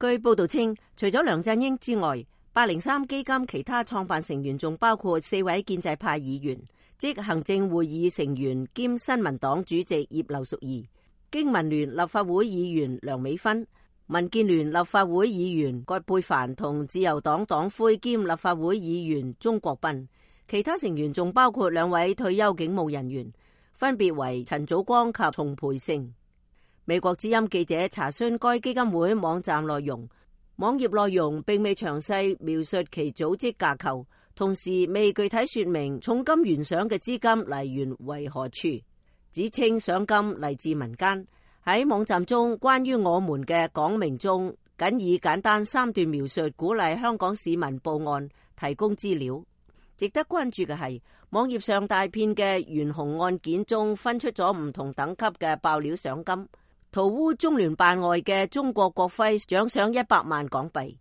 據報道稱，除咗梁振英之外，803基金其他創辦成員仲包括4位建制派議員，即行政會議成員兼新民黨主席葉劉淑儀、經民聯立法會議員梁美芬、民建聯立法會議員葛珮帆同自由黨黨魁兼立法會議員鍾國斌。其他成員仲包括2位退休警務人員，分別為陳祖光及叢培盛。美國之音記者查詢該基金會網站內容，網頁內容並未詳細描述其組織架構，同時未具體說明重金懸賞嘅資金來源為何處，只稱賞金嚟自民間。喺網站中關於我們嘅講明中，僅以簡單3段描述鼓勵香港市民報案，提供資料。值得關注嘅係，網頁上大片嘅懸紅案件中分出咗唔同等級嘅爆料賞金。塗污中聯辦外嘅中國國徽獎賞100萬港幣，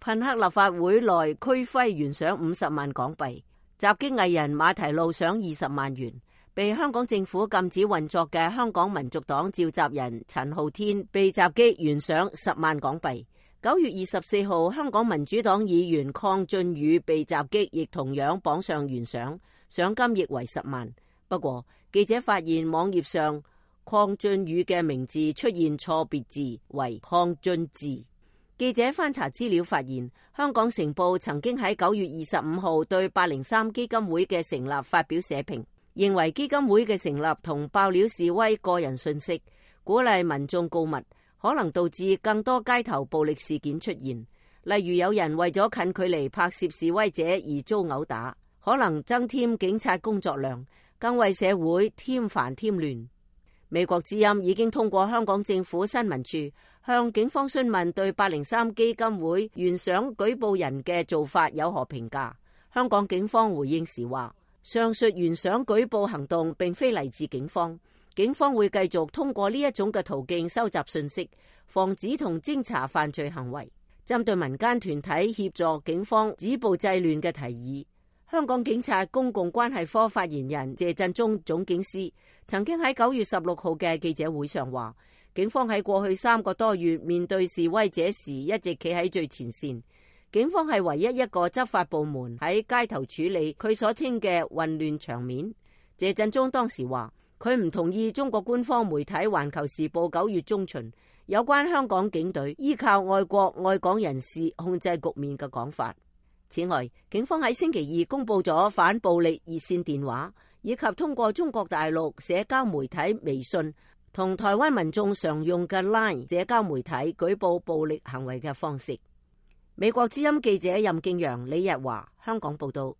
噴黑立法會內區徽懸賞50萬港幣，襲擊藝人馬蹄路賞20萬元，被香港政府禁止運作嘅香港民族黨召集人陳浩天被襲擊懸賞10萬港幣。9月24號，香港民主黨議員鄺俊宇被襲擊，亦同樣榜上懸賞，賞金亦為10萬。不過記者發現網頁上鄺俊宇嘅名字出現錯別字，為鄺俊智。記者翻查資料發現，香港成報曾經喺9月25號對803基金會嘅成立發表社評，認為基金會嘅成立同爆料示威個人信息，鼓勵民眾告密，可能導致更多街頭暴力事件出現，例如有人為咗近距離拍攝示威者而遭毆打，可能增添警察工作量，更為社會添煩添亂。美國之音已經通過香港政府新聞處向警方詢問對803基金會懸賞舉報人嘅做法有何評價。香港警方回應時話，上述懸賞舉報行動並非嚟自警方，警方會繼續通過呢一種嘅途徑收集信息，防止同偵查犯罪行為。針對民間團體協助警方止暴制亂嘅提議，香港警察公共關係科發言人謝振中總警司曾經喺9月16號嘅記者會上話，警方喺過去3個多月面對示威者時一直企喺最前線，警方係唯一一個執法部門喺街頭處理佢所稱嘅混亂場面。謝振中當時話，佢唔同意中國官方媒體《環球時報》9月中旬有關香港警隊依靠愛國愛港人士控制局面嘅講法。此外，警方喺星期2公布咗反暴力熱線電話，以及通過中國大陸社交媒體微信同台灣民眾常用嘅 LINE 社交媒體舉報暴力行為嘅方式。美國之音記者任敬陽、李日華香港報道。